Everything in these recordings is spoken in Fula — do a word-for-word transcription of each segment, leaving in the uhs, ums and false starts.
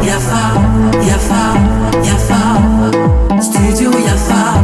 Yafa, yafa, yafa. Studio yafa.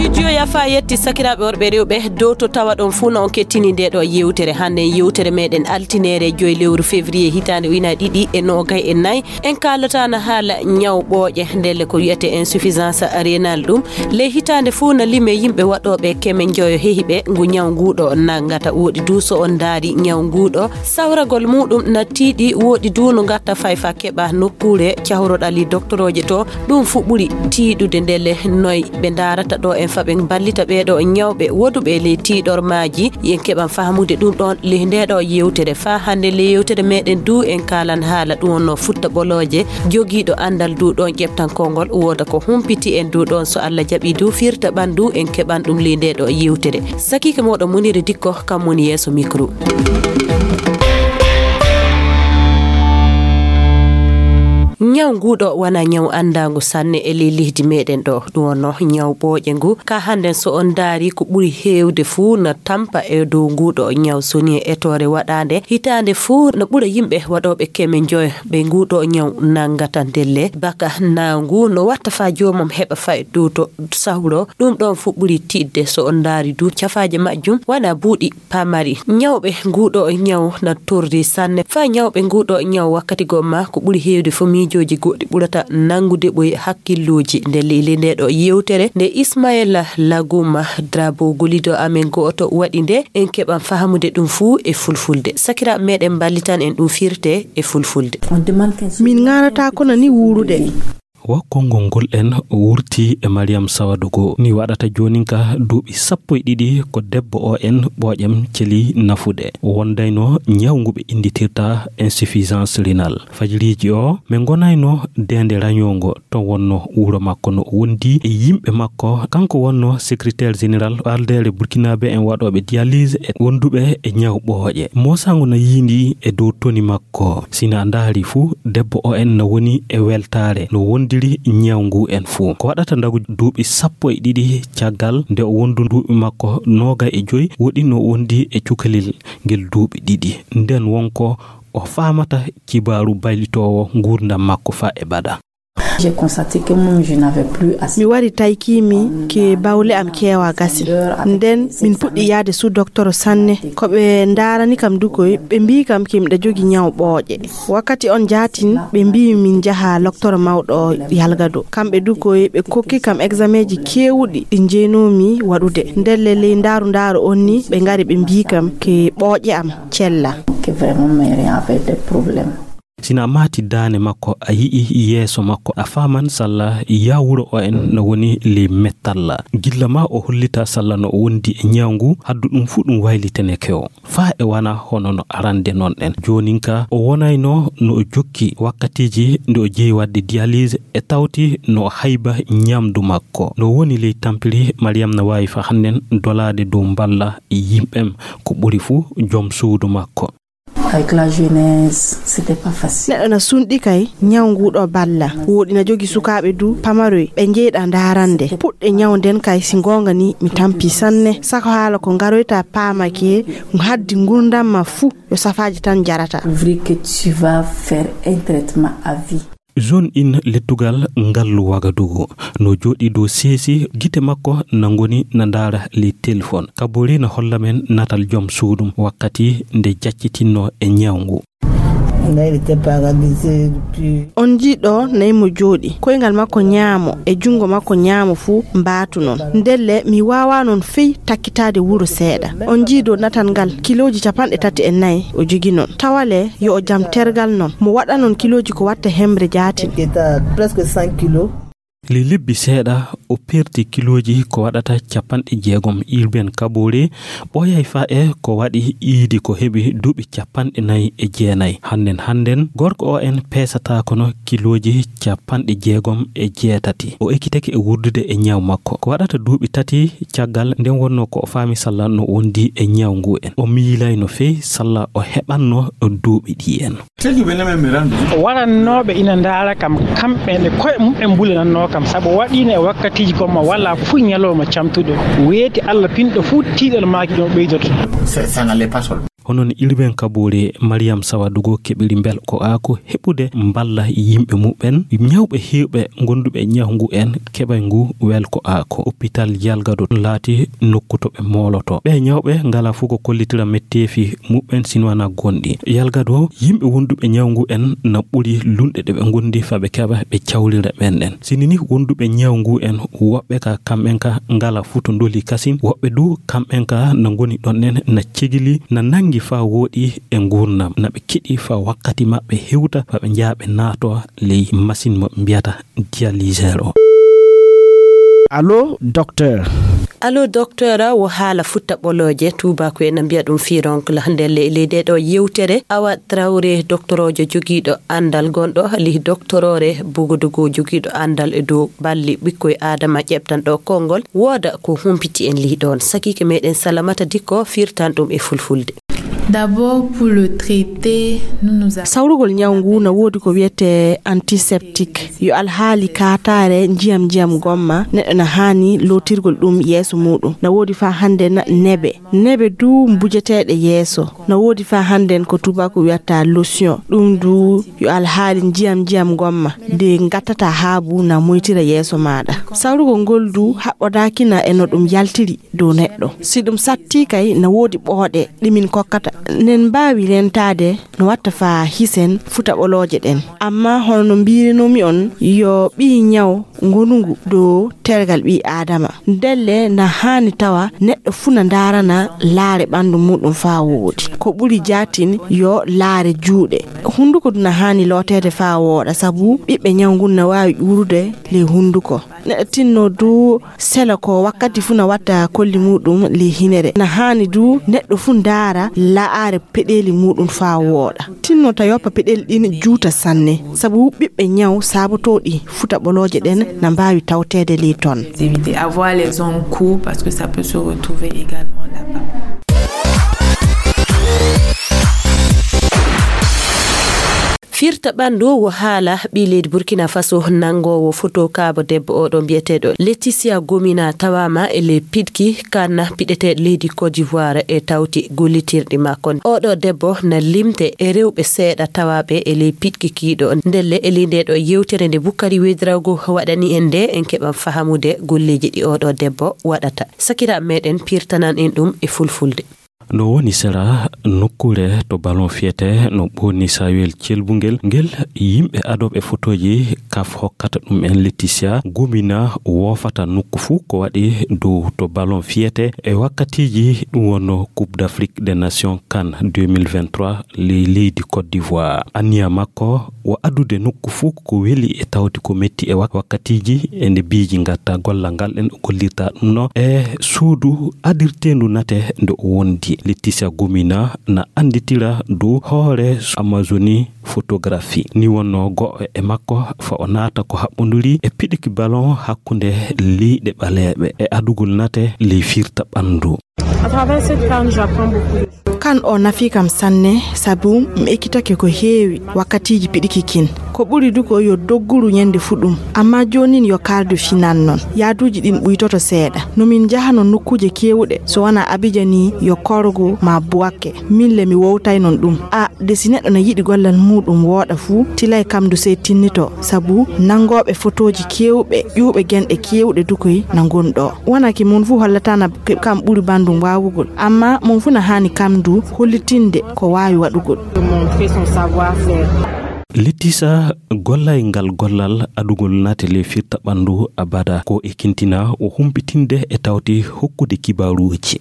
Studio yafa yetti sakiraaɓe worɓe e rewɓe dow to tawa ɗon fuu na on kettini nde ɗo yewtere. Hannde yewtere meɗen altineere joy lewru février hitaande ujunaaji ɗiɗi e noogay e nayi. En kaalata na haala ñaw ɓooƴe, ndelle ko wiyete insuffisance rénale ɗum. Ley hitaande fuu na lime yimɓe waɗooɓe keme njoyo hehiɓe ngu ñaw nguuɗo nanngata. Woɗi du so on ndaari ñaw nguuɗo, sawragol muuɗum na tiiɗi, woɗi du no ngatta fay fa keɓa nokkuure cahroɗali doktorooje to. Ɗum fuu ɓuri tiiɗude ndelle noy ɓe ndaarata ɗo en fa ɓe mballita ɓee ɗo ñawɓe woduɓe ley tiiɗormaaji. Yen keɓan fahmude ɗum ɗon ley nde ɗo yewtere. Fa hannde ley yewtere meɗen du en kaalan haala ɗum wonno futta ɓolooje. Jogiiɗo anndal du ɗon ƴeftan konngol wooda ko humpiti en du ɗon so Allah jaɓi du firta ɓandu en keɓan ɗum ley nde ɗo yewtere. Sakiike moɗon Muniri Dikko kam woni yeeso micro. Ñaw nguuɗo wona ñaw anndaangu sanne e ley leydi meɗen ɗo. Ɗum wonno ñaw ɓooƴe ngu. Ka hannden so on ndaari ko ɓuri heewde fuu na tampa e dow nguuɗo ñaw soni e etoore waɗaande. Hitaande fuu na ɓura yimɓe waɗooɓe keme njoyo ɓe nguuɗo ñaw nanngata ndelle. Baka naangu no watta fa joomum heɓa fay dow to sahro. Ɗum ɗon fuu ɓuri tiiɗde so on ndaari du cafaaje majjum wona buuɗi pamari. Ñawɓe nguuɗo ñaw na torri sanne. Fa ñawɓe nguuɗo ñaw wakkati goo ma ko ɓuri heewde fo miijooji goɗɗi ɓurata nanngude ɓoy hakkillooji. Nde leydi nde ɗo yewtere nde Ismaila Laguma Drabo golido amen gooto waɗi nde en keɓan fahamude ɗum fuu e fulfulde. Sakiraaɓe meɗen mballitan en ɗum firte e fulfulde. Min ŋaarata kono ni wuurude. Wo konngol ngol en wurti e Mariam Sawadugo. Ni waɗata joonin ka duuɓi sappo e ɗiɗi ko debbo o en ɓooƴam celi nafude. Wondayno ñaw ngu ɓe innditirta insuffisance rénale. Fajiriiji o, ɓe ngonayno deende rañoongo. To wonno wuro makko no o wondi e yimɓe makko. Kanko wonno secrétaire général ɓaldeere Burkinabé en waɗooɓe dialyse e wonduɓe e ñaw ɓooƴe. Moosango na yiindi e dow toni makko. Ko si na ndaari fuu, debbo o en na woni e weltaare, no wondiri ñaw ngu en fuu. Ko waɗata ndagu duuɓi sappo e ɗiɗi caggal nde o wondi duuɓi makko noogay e joy, woɗi no wondi e cukalel ngel duuɓi ɗiɗi. Nden wonko o faamata kibaaru baylitoowo nguurndam makko faa e bada. J'ai constaté que moi, je n'avais plus assez. Mi wari taykimi ke bawle am keewa gasi. Nden min puɗɗi yaade su doktoro sanne. Ko ɓe ndaarani kam dukoy, ɓe mbii kam ke miɗa jogi ñaw ɓooƴe. Wakkati on jaatin, ɓe mbii min njaha loktoro mawɗo yalgado. Kamɓe dukoy, ɓe kokki kam exameji keewuɗi ɗi njeenoomi waɗude. Ndelle ley ndaaru ndaaru on ni, ɓe ngari ɓe mbii kam ke ɓooƴe am cella. Que vraiment, mais rien avec des problèmes. Si na a maati daane makko, a yi'i yeeso makko, a faaman salla yaa wuro o en no woni ley mettalla. Gilla ma o hollita salla no o wondi e ñaw ngu, haddu ɗum fuu ɗum wayliteneke o. Faa e wana hono no arande non en. Joonin ka o wonayno no o jokki wakkatiiji nde o jeyi waɗde dialyse e tawti no o hayba ñamdu makko. No woni ley tampiri, Mariam na waawi fa hannden dolaade dow mballa yimɓem ko ɓuri fuu jom suudu makko. Avec la jeunesse, c'était pas facile. Neɗɗo na sunɗi kay, ñaw nguɗo balla. Woɗi na jogi sukaaɓe du, pamaroy, ɓe njeyɗa ndaarande. Puɗɗe ñaw nden kay, si goonga ni, mi tampi sanne. Sako haala ko ngaroyta paamake, haddi ngurdam ma fuu, yo safaaji tan jarata. Vrai que tu vas faire un traitement à vie. Zone in lettugal ngallu Wagadugu no jooɗi dow seesi, gite makko na ngoni na ndaara ley telefon. Kabori na holla men natal jom suudum wakkati nde jaccitinno e ñaw ngu. On jii ɗo nayi mo jooɗi, koyngal makko ñaamo e junngo makko ñaamo fuu mbaatu non. Ndelle mi waawaa non fey takkitaade wuro seeɗa. On jii dow natal ngal kilooji capanɗe tati e nayi o jogi non. Tawale yo o jam tergal non. Mo waɗa non kilooji ko watta hemre jaatin. Presque cent kilos. Ley lebbi seeɗa, o perti kilooji ko waɗata capanɗe jeegom. Urbain Kabore ɓooyay faa e ko waɗi iidi ko heɓi duuɓi capanɗe nayi e jeenayi. Hannden hannden, gorko o en peesataa kono kilooji capanɗe jeegom e jeetati. O ekkitake e wurdude e ñaw makko. Ko waɗata duuɓi tati caggal nden wonno ko o faami salla no wondi e ñaw ngu en. O miilayno fey salla o heɓanno duuɓi ɗi en. Warannooɓe ina ndaara kam, kamɓe ne koye mum'en mbulanannoo kam, sabu waɗiino e wakkatiiji gomma walla fuu ñalawma camtuɗo. Weeti Alla pinɗo fuu, tiiɗal maaki ɗum ɓeydoto. Ça, ça n'allait pas seulement. Hono no Urbain Kabore, Mariam Sawadogo keɓiri mbelko aako heɓude mballa yimɓe muɓɓen, ñawɓe heewɓe gonduɓe ñaw ngu en keɓay ngu welko aako. Hôpital Yalgado laati nokku to ɓe mooloto. Ɓe ñawɓe ngala fof ko kollitira metteefi muɓɓen sino wana gonɗi. Yalgado, yimɓe wonduɓe ñaw ngu en na ɓuri lunɗe ɗe ɓe gondi fa ɓe keɓa ɓe cawlira ɓen ɗen. Sini ni wonduɓe ñaw ngu en woɓɓe ka kamɓen ka ngala futo ndoli kasin, woɓɓe du kamɓen ka na ngoni ɗon ɗen na cegili, na nangi fa wooɗi e ngurnam, na ɓe kiɗi fa wakkati maɓɓe hewta fa ɓe njaha ɓe naato ley masin mo ɓe mbiyata dialyseur o. Allo, docteur. Allo, docteur, wo haala futta ɓolooje, tuubaaku en mbiya ɗum fironcle. Nder le-, ley nde ɗo yewtere, Awa Traoré, doktoroojo jogiiɗo anndal gonɗo lih doktoroore Bugudugu, jogiiɗo anndal e dow balli ɓikkoy Aadama ƴeɓtan ɗo konngol, wooda ko humpiti en lih ɗoon. Sakiike meɗen Salamata Dikko firtan ɗum e fulfulde. D'abord, pour le traiter, nous nous avons Sawrugol ñaw ngu na woodi ko wiyetee antiseptique. Yo alhaali kaataare njiyam njiyam gomma, neɗɗo na haani lootirgol ɗum yeeso muuɗum. Na woodi faa hannden nebe. Nebe du mbujeteeɗe yeeso. Na woodi faa hannden ko tuubaaku wiyata lotion. Ɗum du yo alhaali njiyam njiyam gomma. De ngattata haabu na moytira yeeso maaɗa. Sawrugol ngol du haɓɓodaaki na e no ɗum yaltiri dow neɗɗo. Si ɗum sattii kay, na woodi ɓooɗe ɗi min kokkata. Nen mbaawi rentaade no watta faa hisen futa ɓolooje ɗen. Amma hono no mbiirinoomi on, yo ɓii ñaw ngonungu dow tergal ɓii Aadama. Ndelle na haani tawa neɗɗo fuu na ndaarana laare ɓanndu muuɗum faa woodi. Ko ɓuri jaatin yo laare juuɗe. Hunnduko du na haani looteede faa wooɗa, sabu ɓiɓɓe ñaw ngun na waawi ƴuurude ley hunnduko. Neɗɗo tinno du sela ko wakkati fuu na watta kolli muuɗum ley hinere. Na haani du neɗɗo fuu ndaara la'aare peɗeeli muuɗum faa wooɗa. Tinno ta yoppa peɗeeli ɗin juuta sanne, sabu ɓiɓɓe ñaw saabotooɗi futa ɓolooje ɗen na mbaawi tawteede ley ton. Éviter, avoir les ongles courts parce que ça peut se retrouver également là-bas. Firta ɓanndu wo haala ɓii leydi Burkina Faso nanngoowo foto kaabo debbo oɗo mbiyeteeɗo Laetitia Gomina tawaama e ley piɗki kan piɗeteeɗo leydi Côte d'Ivoire e tawti gollitirɗi makko. Oɗo debbo na limte e rewɓe seeɗa tawaaɓe e ley piɗki kiiɗo. Ndelle e ley nde ɗo yewtere nde Bukari Wedrago waɗani en nde en keɓan fahamude golleeji ɗi oɗo debbo waɗata. Sakiraaɓe meɗen pirtanan en ɗum e fulfulde. No woni sera nokkuure to ballon fiyete no ɓooni Sayuwel celbungel ngel, yimɓe adooɓe fotooji kaf hokkata ɗum en Laetitia Gomina woofata nokku fuu ko waɗi dow to ballon fiyete e wakkatiiji ɗum wonno Coupe d'Afrique des Nations CAN deux mille vingt-trois ley leydi Côte d'Ivoire. Anniya makko wo addude nokku fuu ko weli e tawti ko metti e wak-, wakkatiiji e nde biiji ngatta gollal ngal en o gollirta ɗum no e suudu adirteendu nate nde o wondi. Laetitia Gomina na annditira dow hoore Amazonie Photographie. Ni wonno go'o e makko fa o naata ko haɓɓonduri e piɗiki ballon hakkunde leyɗe ɓaleeɓe e adugol nate ley firta ɓanndu. À travers cette CAN, j'apprends beaucoup de choses. CAN o nafi kam sanne, sabu mi ekkitake ko heewi wakkatiiji piɗiki kin. Ko ɓuri du ko yo dogguru ñande fuɗum, amma joonin yo kaaldu finan non. Yaaduuji ɗin ɓuytoto seeɗa. No min njahano nokkuuje keewuɗe, so wonaa Abidjan ni, yo Korgo maa Bouaké. Min le mi wowtay non ɗum. A, de si neɗɗo na yiɗi gollal muuɗum wooɗa fuu, tilay kam du sey tinnito, sabu nanngooɓe fotooji keewɓe, ƴuuɓe genɗe keewɗe du koy na ngon ɗo. Wonaa ki mon fuu hollata na ke-, kam ɓuri banndum waawugol, amma mon fuu na haani kam du hollitinde ko waawi waɗugol. De montrer son savoir-faire. Laetitia gollay ngal gollal adugol nate ley firta ɓanndu abada ko e kintina o humpitinde e tawti hokkude kibaaruuji.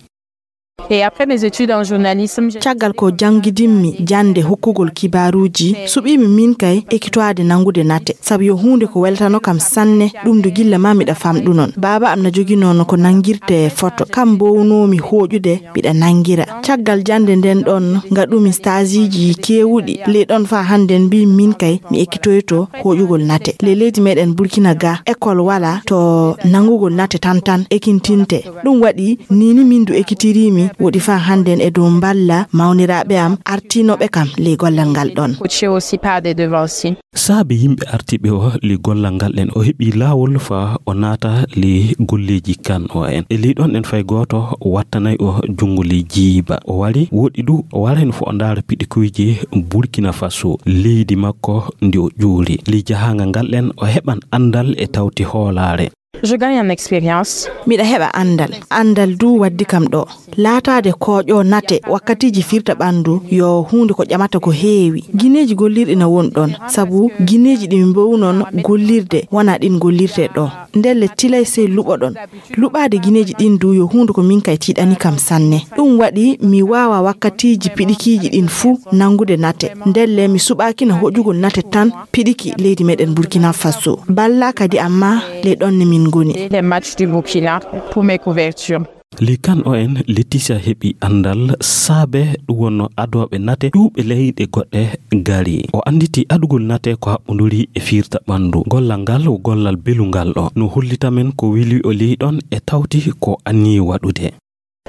Et après mes études en journalisme, j'ai Caggal ko janngidimmi jannde hokkugol kibaaruuji, suɓiimi min kay ekitoade nanngude nate, sabu yo huunde ko weltano kam sanne, ɗum du gilla ma miɗa famɗu non. Baaba am na joginoo no ko nanngirte foto, kam mbownoomi hooƴude miɗa nanngira. Caggal jannde nden ɗon, ngaɗumi stageiji keewuɗi, ley ɗon faa hannden mbiimi min kay mi ekitoyto hooƴugol nate. Ley leydi meɗen Burkina ga, école wala to nanngugol nate tan tan ekintinte. Ɗum waɗi, nii ni min du ekitiriimi Woɗi faa hannden e dow mballa mawniraaɓe am artiinooɓe kam ley gollal ngal ɗon. Coaché aussi par des devanciers. Saabe yimɓe artiiɓe o ley gollal ngal ɗen, o heɓi laawol faa o naata ley golleeji kan o en. E ley ɗon ɗen fay gooto wattanay o junngo ley jiiba. O wari, woɗi du, o waray no fo o ndaara piɗikuyji Burkina Faso, leydi makko ndi o ƴuuri. Ley jahaangal ngal ɗen, o heɓan anndal e tawti hoolaare. Je gagne en expérience. Miɗa heɓa anndal. Anndal du waddi kam ɗo. Laataade kooƴo nate wakkatiiji firta ɓanndu yo huunde ko ƴamata ko heewi. Gineeji gollirɗi na won ɗon, sabu gineeji ɗi mbownon gollirde wonaa ɗin gollirte ɗo. Ndelle tilay sey luɓoɗon. Luɓaade gineeji ɗin du yo huunde ko min kay tiiɗani kam sanne. Ɗum waɗi mi waawa wakkatiiji piɗikiiji ɗin fuu nanngude nate. Ndelle mi suɓaakina hoƴugol nate tan piɗiki leydi meɗen Burkina Faso. Balla kadi amma ley ɗon ne min ngoni. Les matchs du Burkina pour mes couvertures. Ley kan o en Laetitia heɓi anndal saabe ɗum wonno adooɓe nate ƴuwɓe leyɗe goɗɗe gari. O annditi adugol nate ko haɓɓunduri e firta ɓanndu. Gollal ngal wo gollal belungal ɗo. No hollita men ko weli o ley ɗon e tawti ko anniyii waɗude.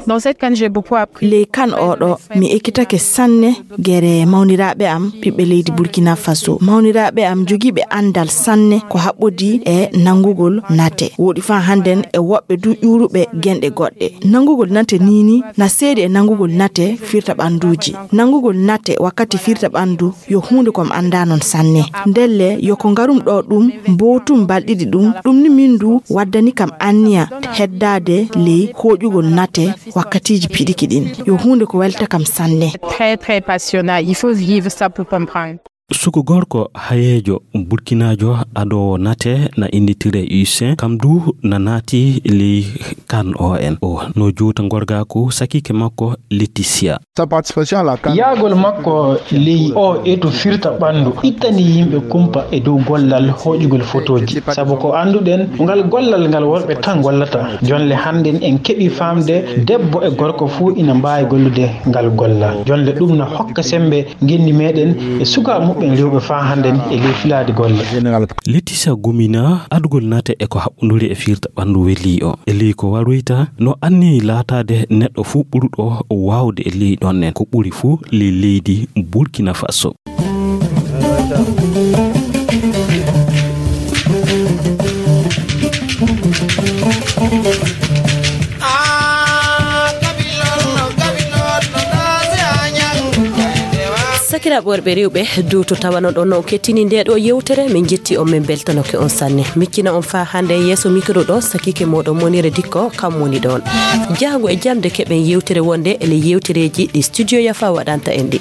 Dans cette CAN, j'ai beaucoup appris. Ley kan oɗo, mi ekkitake sanne gere mawniraaɓe am, ɓiɓɓe leydi Burkina Faso. Mawniraaɓe am jogiiɓe anndal sanne ko haɓɓodii e nanngugol nate. Woɗi faa hannden e woɓɓe du ƴuuruɓe genɗe goɗɗe. Nanngugol nate niini na seedi e nanngugol nate firta ɓannduuji. Nanngugol nate wakkati firta ɓanndu yo huunde ko mi anndaa non sanne. Ndelle yo ko ngarum ɗo ɗum mbowtum balɗiɗi ɗum, ɗum ni min du waddani kam anniya heddaade ley hooƴugol nate wakkatiiji piɗiki ɗin. Yo huunde ko welta kam sanne. Très, très passionnant. Il faut vivre ça pour comprendre. Suku gorko hayeejo burkinaajo adoowo nate na innditiree Usain, kam du na naati ley kan o en. O no juuta ngorgaaku sakiike makko Laetitia. Sa participation à la CAN. Yahgol makko ley o etu firta ɓanndu ittani yimɓe kumpa e dow gollal hooƴugol fotooji. Sabu ko annduɗen, ngal gollal ngal worɓe tan gollata. Jonle hannden en keɓi faamde debbo e gorko fuu ina mbaawi gollude ngal gollal. Jonle ɗum na hokka semmbe ngenndi meɗen e sukaaɓe muɓɓen rewɓe faa hannden e ley filaade golle. Laetitia gumina adugol nate e ko haɓɓunduri e firta ɓanndu welii o. E ley ko waroyta, no anniyii laataade neɗɗo fuu ɓuruɗo waawde e ley ɗon en, ko ɓuri fuu ley leydi Burkina Faso. Sakiraaɓe worɓe rewɓe, dow to tawano ɗon no on kettini nde ɗo yewtere, min jetti on, min beltanoke on sanne. Miccina on faa hannde yeeso mikro ɗo, sakiike mooɗon Monire Dikko, kam woni ɗon. Jaango e jamde keɓen yewtere wonde e ley yewtereeji ɗi Studio Yafa waɗanta en ɗi.